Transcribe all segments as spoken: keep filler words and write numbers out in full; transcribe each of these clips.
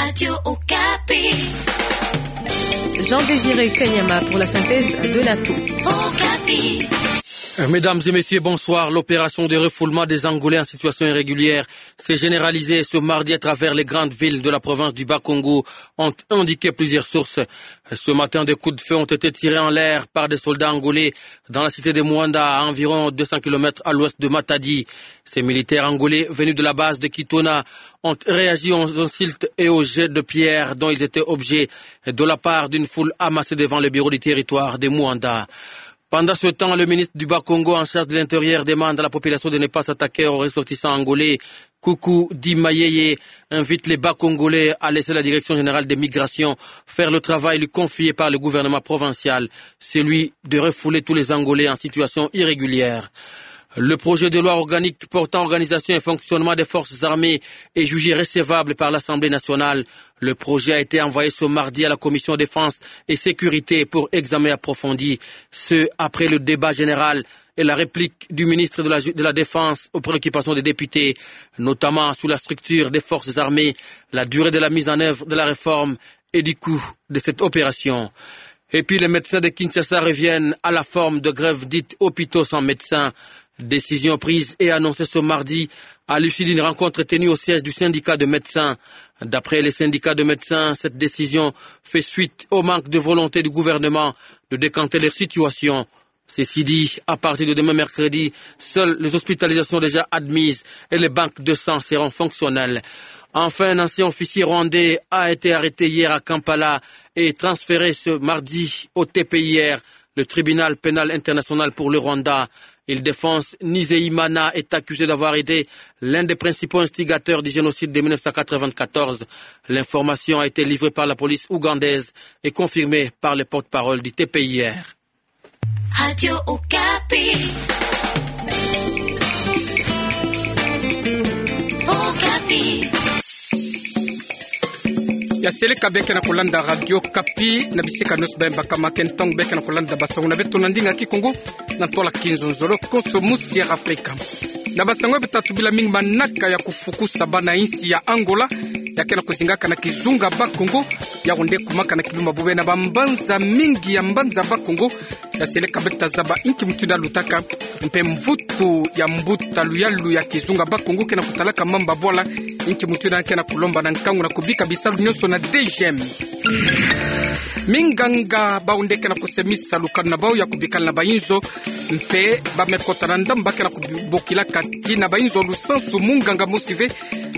Radio Okapi. Jean-Désiré Kanyama pour la synthèse de l'info. Okapi. Mesdames et messieurs, bonsoir. L'opération de refoulement des Angolais en situation irrégulière s'est généralisée ce mardi à travers les grandes villes de la province du Bas-Congo, ont indiqué plusieurs sources. Ce matin, des coups de feu ont été tirés en l'air par des soldats angolais dans la cité de Muanda, à environ deux cents kilomètres à l'ouest de Matadi. Ces militaires angolais venus de la base de Kitona ont réagi aux insultes et aux jets de pierre dont ils étaient objets de la part d'une foule amassée devant le bureau du territoire de Muanda. Pendant ce temps, le ministre du Bas-Congo en charge de l'Intérieur demande à la population de ne pas s'attaquer aux ressortissants angolais. Coucou Di Mayeye invite les Bas-Congolais à laisser la Direction générale des migrations faire le travail lui confié par le gouvernement provincial, celui de refouler tous les Angolais en situation irrégulière. Le projet de loi organique portant organisation et fonctionnement des forces armées est jugé recevable par l'Assemblée nationale. Le projet a été envoyé ce mardi à la commission défense et sécurité pour examen approfondi. Ce, après le débat général et la réplique du ministre de la, de la Défense aux préoccupations des députés, notamment sur la structure des forces armées, la durée de la mise en œuvre de la réforme et du coût de cette opération. Et puis, les médecins de Kinshasa reviennent à la forme de grève dite hôpitaux sans médecins. Décision prise et annoncée ce mardi à l'issue d'une rencontre tenue au siège du syndicat de médecins. D'après les syndicats de médecins, cette décision fait suite au manque de volonté du gouvernement de décanter leur situation. Ceci dit, à partir de demain mercredi, seules les hospitalisations déjà admises et les banques de sang seront fonctionnelles. Enfin, un ancien officier rwandais a été arrêté hier à Kampala et transféré ce mardi au T P I R, le Tribunal pénal international pour le Rwanda. Ildéphonse Nizeyimana est accusé d'avoir été l'un des principaux instigateurs du génocide de mille neuf cent quatre-vingt-quatorze. L'information a été livrée par la police ougandaise et confirmée par le porte-parole du T P I R. Radio Okapi. Okapi. Ya seleka bê ke na kulanda Radio Okapi, na bisika nyonso bê mbakama, ke ntangu bê ke na kulanda basango na beto na ndinga Kikongo, na ntwala kizonzolo konso musi ya Afrika. Na basango bê ta tubila mingi manaka ya kufukusa bana insi ya Angola, ya ke na kuzingaka na kizunga Bakongo, ya wonde kumaka na kiluma bubê na bambanza mingi ya mbanza Bakongo, ya seleka bê ta zaba inki mutindu ya lutaka, mpe mvutu ya mbuta luyalu ya kizunga Bakongo ke na kutalaka mamba bwala, inki mutindu ya ke na kulomba na nkangu na kubika bisalu nyonso na D G M. Minganga bau nde ke na kusemisa lukanu na bau ya kubikala na bainzo, mpe ba me kota na ndambu ba ke na kubokilaka tii na bainzo lusansu munganga mosi ve,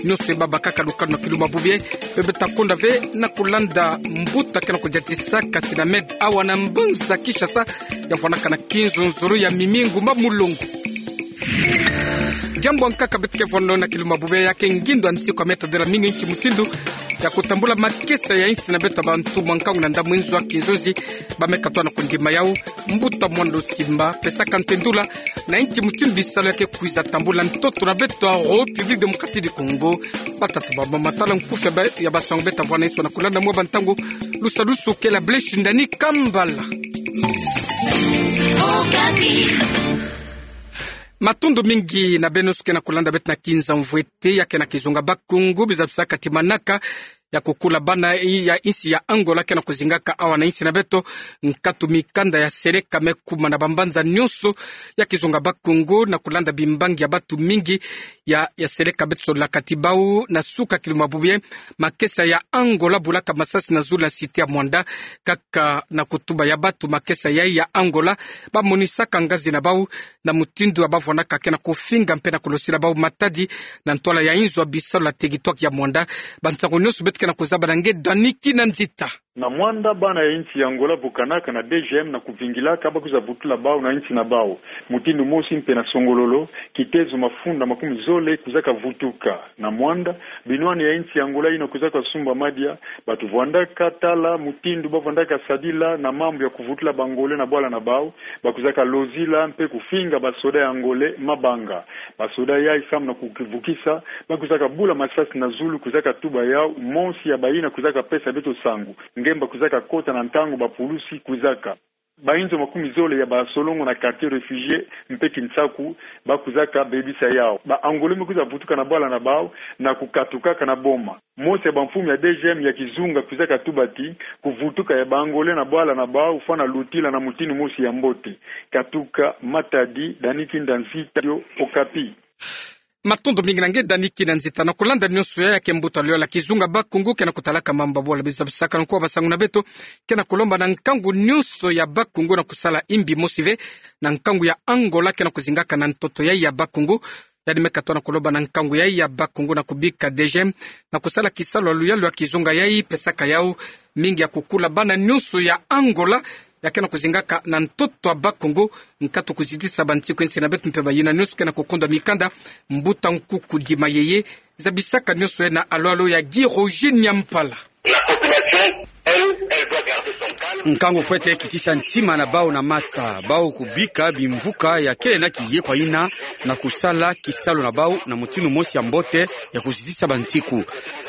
nyonso e babakaka lukanu na kiluma bubê, bê bê ta konda ve na kulanda mbuta ke na kudiatisaka Sinamed awa na mbanza Kinshasa, ya vwanaka na kizonzolo ya Mimi Ngumba Mulongo. Diambu ya nkaka bê tuke vwando na kiluma bubê ya ke ngindo ya nsiku ya me tadila mingi inki mutindu ya kutambula makesa ya insi na beto bantu mwa nkangu na ndambu nzo ya kinzonzi, ba me katoa na kundima yau, mbuta Mwando Simba, pesaka ntendula, na inki mutindu bisalu ya ke kwiza tambula ntoto na beto ya République Démocratique du Congo. Batata bamama, tala nkufi ya ba, ya basango bê ta vwana inso na kulanda mwa bantangu, lusalusu ke la Blaise Shindani Kambala. Okapi. Matondo mingi na beno nyonso ke na kulanda beto na kinza mvwete ya ke na kizunga Bakongo, biza bisaka tii manaka ya kukula bana ya insi ya Angola ke na kuzingaka awa na insi na beto, nkatu mikanda ya seleka me kuma na bambanza nyonso ya kizunga Bakongo na kulanda bimbangi ya batu mingi ya, ya seleka bê ta solaka tii bau na suka kiluma bubê, makesa ya Angola bulaka masasi na zulu na cité ya Muanda, kaka na kutuba ya batu makesa ya, ya Angola, ba monisaka ngazi na bau, na mutindu ya ba vwanaka ke na kufinga mpe na kulosila bau matadi, na ntwala ya inzo ya bisalu ya territoire ya Muanda. Bansango nyonso bê tuke na kuzaba na nge Dani Kinanzita. Na Muanda, bana ya insi ya Angola bukanaka na D G M na kuvingilaka ba kwiza vutula bau na insi na bau. Mutindu mosi mpe na Songololo, kitezo mafunda makumi zole kwizaka vutuka. Na Muanda, binwani ya insi ya Angola yina kwizaka sumba madia, batu vwandaka tala mutindu ba vwandaka sadila na mambu ya kuvutula ba Angolais na bwala na bau, ba kwizaka lozila mpe kufinga basoda ya Angolais mabanga. Basoda yayi samu na kukivukisa, ba kwizaka bula masasi na zulu, kwizaka tuba yau, mosi ya bayina kwizaka pesa beto sango, nge mba kwizaka kota na ntangu bapulusi kwizaka. Bainzo makumi zole ya basolongo na quartier réfugié mpe Kinsaku bakwizaka bebisa yau. Ba Angolais me kwiza vutuka na bwala na bau na kukatukaka na boma. Mosi ya bamfumu ya deuxième ya kizunga kwizaka tuba ti kuvutuka ya ba Angolais na bwala na bau fwana lutila na mutinu mosi ya mbote. Katuka Matadi, Dani Kinda Nzita, Radio Okapi. Matondo mingi na nge Dani Kinda Nzita. Na kulanda nyonso yai, ya ke mbuta luyala kizunga Bas-Congo ke na kutalaka mambu ya bwala. Biza bisakana kwa basangu na beto, ke na kulomba na nkangu nyonso ya Bas-Congo na kusala imbi, mosi ve na nkangu ya Angola ke na kuzingaka na ntoto yai ya Bas-Congo. Yandi me katoa na kulomba na nkangu yai ya Bas-Congo na kubika deuxième na kusala kisalu ya luyalu ya kizunga yai pesaka yau mingi ya kukula bana nyonso ya Angola ya ke na kuzingaka na ntoto ya Bas-Congo. Nkatu kuzitisa bansiku ya nsi na beto mpe bayina nyonso ke na kukondwa mikanda. Mbuta Nkuku Dima Yeye zabisaka nyonso yai na alo-alo ya Guy Roger Nyampala. La population, elle, elle doit garder son calme. Nkangu fwete kitisa ntima na bau na masa, bau kubika bimvuka ya kele na kiye kwa yina na kusala kisalu na bau na mutinu mosi ya mbote ya kuzitisa bansiku.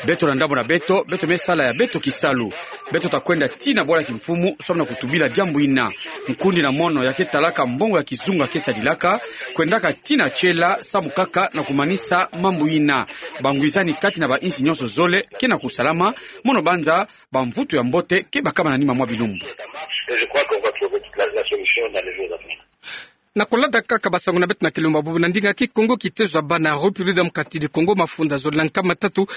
Beto na ndambu na beto, beto me sala ya beto kisalu. Beto ta kwenda tii na bwala kimfumu, samu na kutubila diambu yina. Nkundi na mono ya ke talaka mbongo ya kizunga ke sadilaka, kwendaka tii na tiela, samu kaka na kumanisa mambu yina. Bangwizani kati na bainsi nyonso zole ke na kusalama, mono banza bamvutu ya mbote ke bakama na nima mwa bilumbu. Et je crois qu'on va trouver la, la solution dans les jours à venir. Na kulanda kaka basangu na beto na kilumbu ya bubu, na ndinga Kikongo, kitezo ya bana République démocratique du Congo mafunda zole na nkama tatu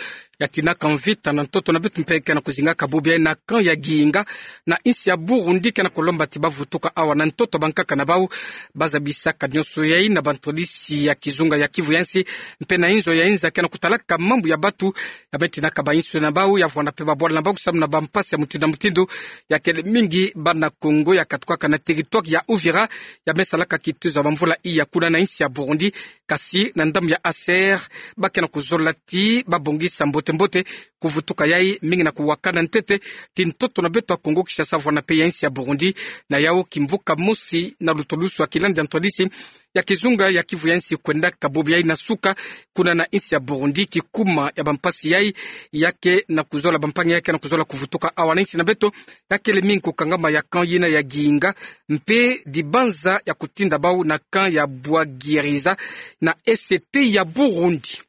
ya tinaka mvita na ntoto na beto mpe ke na kuzingaka bubu yai na camp ya Gihinga na insi ya Burundi ke na kulomba ti bavutuka awa na ntoto ya bankaka na bau. Bazabisaka nyonso yai na bantwadisi ya kizunga ya Kivu ya nsi mpe na inzo ya inza ke na kutalaka mambu ya batu ya me tinaka bainsi na bau, ya vwanda mpe babwala na bau samu na bampasi ya mutindu na mutindu. Ya kele mingi bana Kongo ya katukaka na territoire ya Uvira, ya me salaka kitezo ya bamvula iya kuna na insi ya Burundi. Kasi na ndambu ya H C R, ba ke na kuzola ti babongisa mbote-mbote kuvutuka yai mingi na kuwakana ntete ti ntoto na beto ya Kongo Kinshasa vwanda mpe ya insi ya Burundi. Na yau kimvuka mosi na lutolusu ya kilandi ya ntwadisi ya kizunga ya Kivu ya nsi kwendaka bubu yai na suka kuna na insi ya Burundi. Kikuma ya bampasi yai ya ke na kuzola, bampangi ya ke na kuzola kuvutuka awa na insi na beto, ya kele mingi kukangama ya camp yina ya Gihinga mpe dibanza ya kutinda bau na camp ya Bwagiriza na E C T ya Burundi.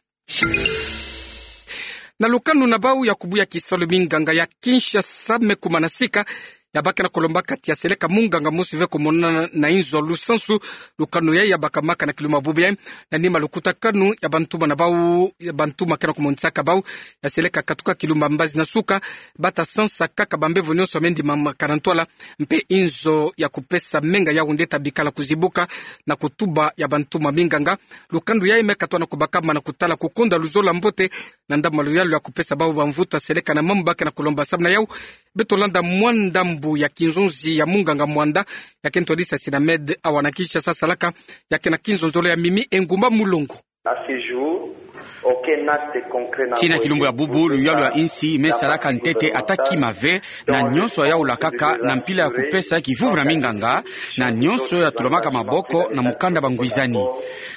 Na lukanu na bau ya kubuya kisalu, minganga ya Kinshasa me kuma na sika, ya ba ke na kulombaka ti ya seleka munganga mosi ve kumonana na inzo lusansu. Lukanu yai ya bakamaka na kilumbu ya bubu yai na nima lukutakanu ya bantuma na bau, ya bantuma ke na kumonisaka bau, ya seleka katuka kilumbu ya mbazi na suka, ba ta sansa kaka bambevo nyonso ya me ndimamaka na ntwala, mpe inzo ya kupesa menga yau nde ta bikala kuzibuka na kutuba ya bantuma minganga. Lukanu yai me katoa na kubakama na kutala kukonda luzolo ya mbote na ndambu ya luyalu ya kupesa bau bamvutu ya seleka na mambu ba ke na kulomba. Samu na yau, beto landa mwa ndambu ya kinzonzi ya munganga Mwanda, ya ke ntwadisi ya Sinamed awa na Kinshasa salaka, ya ke na kinzonzolo ya Mimi Engumba Mulongo. À ce jour, aucun acte concret n'a encore été posé par la santé mentale. Tii na kilumbu ya bubu, luyalu ya insi me salaka ntete ata kima ve, na nyonso ya yaula kaka na mpila ya kupesa kivuvu na minganga, na nyonso ya tulamaka maboko na mukanda bangwizani.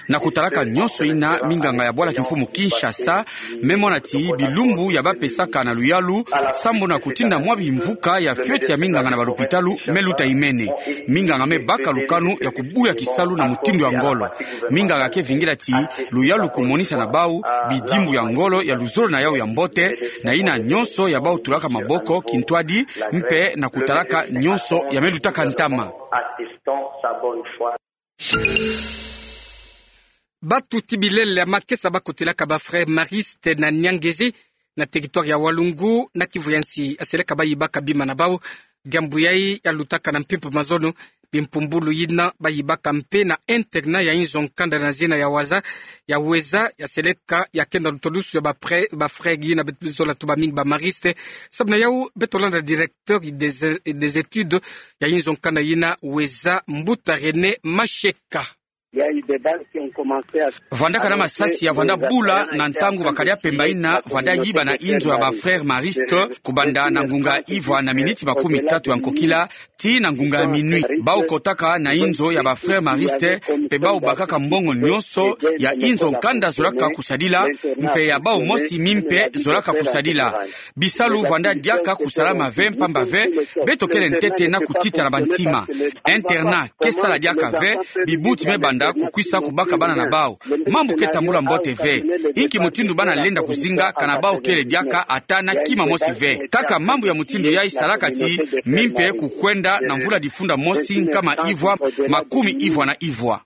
Na kutalaka nyonso yina, minganga ya bwala kimfumu Kinshasa me mona ti bilumbu ya ba pesaka na luyalu sambu na kutinda mwa bimvuka ya fioti ya minganga na balupitalu me luta imene. Minganga me baka lukanu ya kubuya kisalu na mutindu ya ngolo. Minganga ke vingila ti luyalu kumonisa na bau bidimbu ya ngolo ya luzolo na yau ya mbote, na yina nyonso ya bau tulaka maboko kintwadi, mpe na kutalaka nyonso ya me lutaka ntama. Batuti bilele ya makesa ba kotelaka ba frères maristes na Nyangezi, na territoire ya Walungu, na Kivu ya nsi, ya seleka ba yibaka bima na bau. Diambu yai ya lutaka na mpimpa mazono, bimpumbulu yina ba yibaka mpe na internat ya inzo nkanda na zina ya Waza, ya Weza, ya seleka ya kenda lutolusu ya ba prè-, ba frères yina beto zola tuba mingi ba maristes. Samu na yau, beto landa directeur des, des études ya inzo nkanda yina Weza, mbuta René Masheka. Vandaka na masasi ya vanda bula na ntangu ba Kadiapemba ina vanda yibana inzo ya ba frères maristes, kubanda na ngunga ivwa na miniti makumi tatu ya nkokila, tii na ngunga ya minuit. Bau kotaka na inzo ya ba frères maristes, mpe bau bakaka mbongo nyonso ya inzo nkanda zolaka kusadila, mpe ya bau mosi mimpe zolaka kusadila. Bisalu vanda diaka kusalama ve mpamba ve, beto kele ntete na kutitana bantima. Internat ke sala diaka ve, bibuti me banda kukwisa kubaka bana na bau. Mambu ke tambula mbote ve. Inki mutindu bana lenda kuzinga kana bau kele diaka ata na kima mosi ve. Kaka mambu ya mutindu yai salaka ti mimpe kukwenda na mvula difunda mosi nkama ivwa makumi ivwa na ivwa.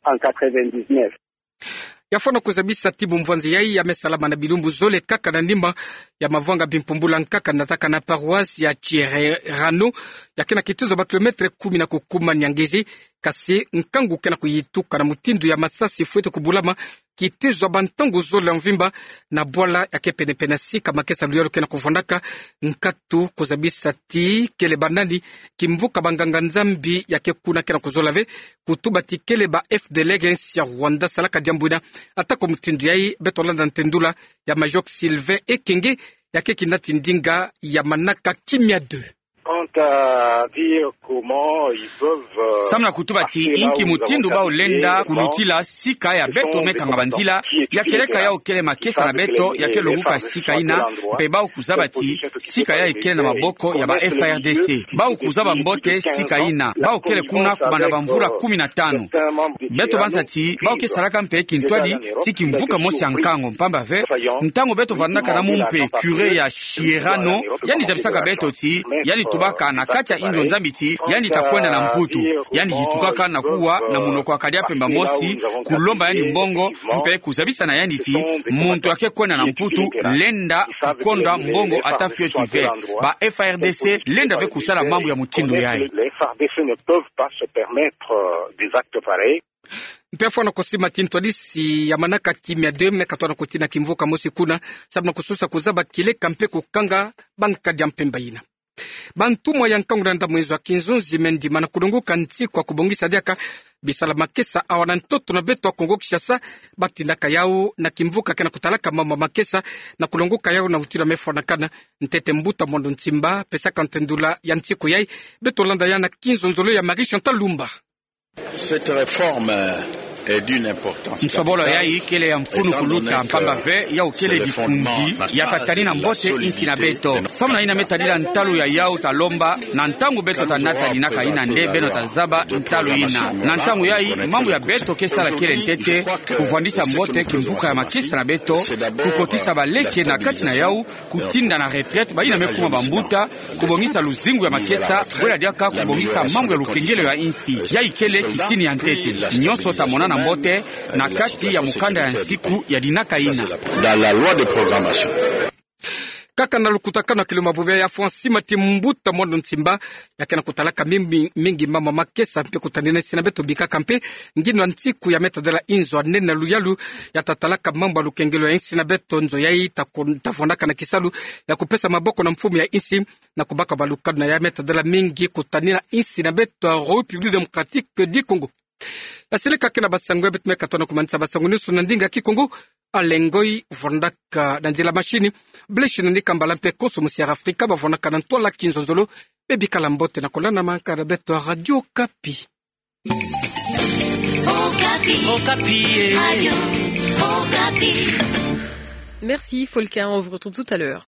Ya fwana kuzabisa ti bumvwanzi yai ya me salama na bilumbu zole kaka na ndimba ya mavwanga bimpumbula nkaka na taka na paroisse ya Tshiererano, ya ke na kitizo ba kilomètre kumi na kukuma na Niangezi, kasi nkangu ke na kuyituka na mutindu ya masasi fwete kubulama kitizo ya bantangu zole ya mvimba na bwala ya ke pene-pene sika makesa luyalu ke na kuvwandaka. Nkatu kuzabisa ti kele banani kimvuka banganga-Nzambi ya ke kuna ke na kuzola ve, kutuba ti kele ba F D L R ya insi ya Rwanda salaka diambu ina. Atako mutindu yai, beto landa ntendula ya Major Sylvain Ekenge, ya ke kinati ndinga ya manaka Kimia deux. Quant à dire comment ils peuvent, euh, samu na kutuba ti inki mutindu bau lenda kulutila sika ya beto me kanga banzila, ya kieleka yau kele makesa na beto ya ke longuka sika ina, mpe bau kuzaba ti sika yai kele na maboko ya ba F A R D C. Bau kuzaba mbote sika ina, bau kele kuna kubanda bamvula kumi na tanu. Beto banza ti bau ke salaka mpe kintwadi ti kimvuka mosi ya nkango, mpamba ve ntangu beto vandaka na mumpe, curé ya Tshiererano, yandi zabisaka beto ti yandi tubaka na kati ya inzo Nzambi ti yandi ta kwenda na Mputu. Yandi yitukaka na kuwa na munoko ya Kadiapemba mosi, kulomba yandi mbongo, mpe kuzabisa na yandi ti muntu ya ke kwenda na Mputu lenda kukondwa mbongo ata fioti ve. Ba F A R D C lenda ve kusala mambu ya mutindu yai. Les F A R D C ne peuvent pas se permettre, euh, des actes pareils. Mpe fwana kusima ti ntwadisi ya manaka Kimia deux me katona kutina kimvuka mosi kuna, samu na kususa kuzaba kieleka mpe kukanga bankadi ya mpemba ina. Bantumwa ya nkangu na ndambu ezo ya kinzunzi me ndima na kulonguka nsiku ya kubongisa diaka bisalu ya makesa awa na ntoto na beto ya Kongo Kinshasa, batindaka yau na kimvuka ke na kutalaka mambu ya makesa na kulonguka yau na utula me fwanakana. Ntete Mbuta Mondo Nsimba pesaka ntendula ya nsiku yai, beto landa ya na kinzonzolo ya Marie Chantal Lumba. Cette réforme est d'une importance capitale. Nsobolo yai kele ya mfunu kuluta, mpamba ve yau kele dikunzi ya ta tanina mbote insi na beto. Samu na ina me tadila ntalu ya yau ta lomba, na ntangu beto ta nata dinaka ina nde beno ta zaba ntalu ina. Na ntangu yai mambu ya beto ke sala kele ntete, kuvwandisa mbote kimvuka ya makesa na beto, kukotisa baleke na kati na yau, kutinda na retraite, bayina me kuma bambuta, kubongisa luzingu ya makesa, bwela diaka kubongisa mambu ya lukengelo ya insi. Yai kele kitini ya ntete. Nyonso ta monana mbote na kati ya mukanda ya nsiku ya dinaka ina. Dans la loi de programmation. Kaka na lukutakanu ya kilo mabubu ya fwa nsima ti Mbuta Mondo Nsimba, ya ke na kutalaka mingi, mingi mambu ya makesa mpe kutanina insi na beto bikaka mpe nginu ya nsiku ya me tadala inzo ya nene na luyalu ya ta talaka mambu ya lukengelo ya insi na beto, nzo yai ta kon-, ta fwanaka na kisalu ya kupesa maboko na mfumu ya insi na kubaka balukanu na ya me tadala mingi kutanina insi na beto ya République Démocratique du Congo. Ya seleka ke na basango ya beto me katona kumanisa basango nyonso na ndinga Kikongo. Alain Ngoyi fwandaka na nzila machine. Blaise Nandi Kambala mpe Koso Musiara Afrika bafwanaka na ntwala kinzonzolo. Bebikala mbote na kolanda mankala beto ya Radio Okapi. Okapi. Okapi, eh. Radio Okapi. Merci Volker, on vous retrouve tout à l'heure.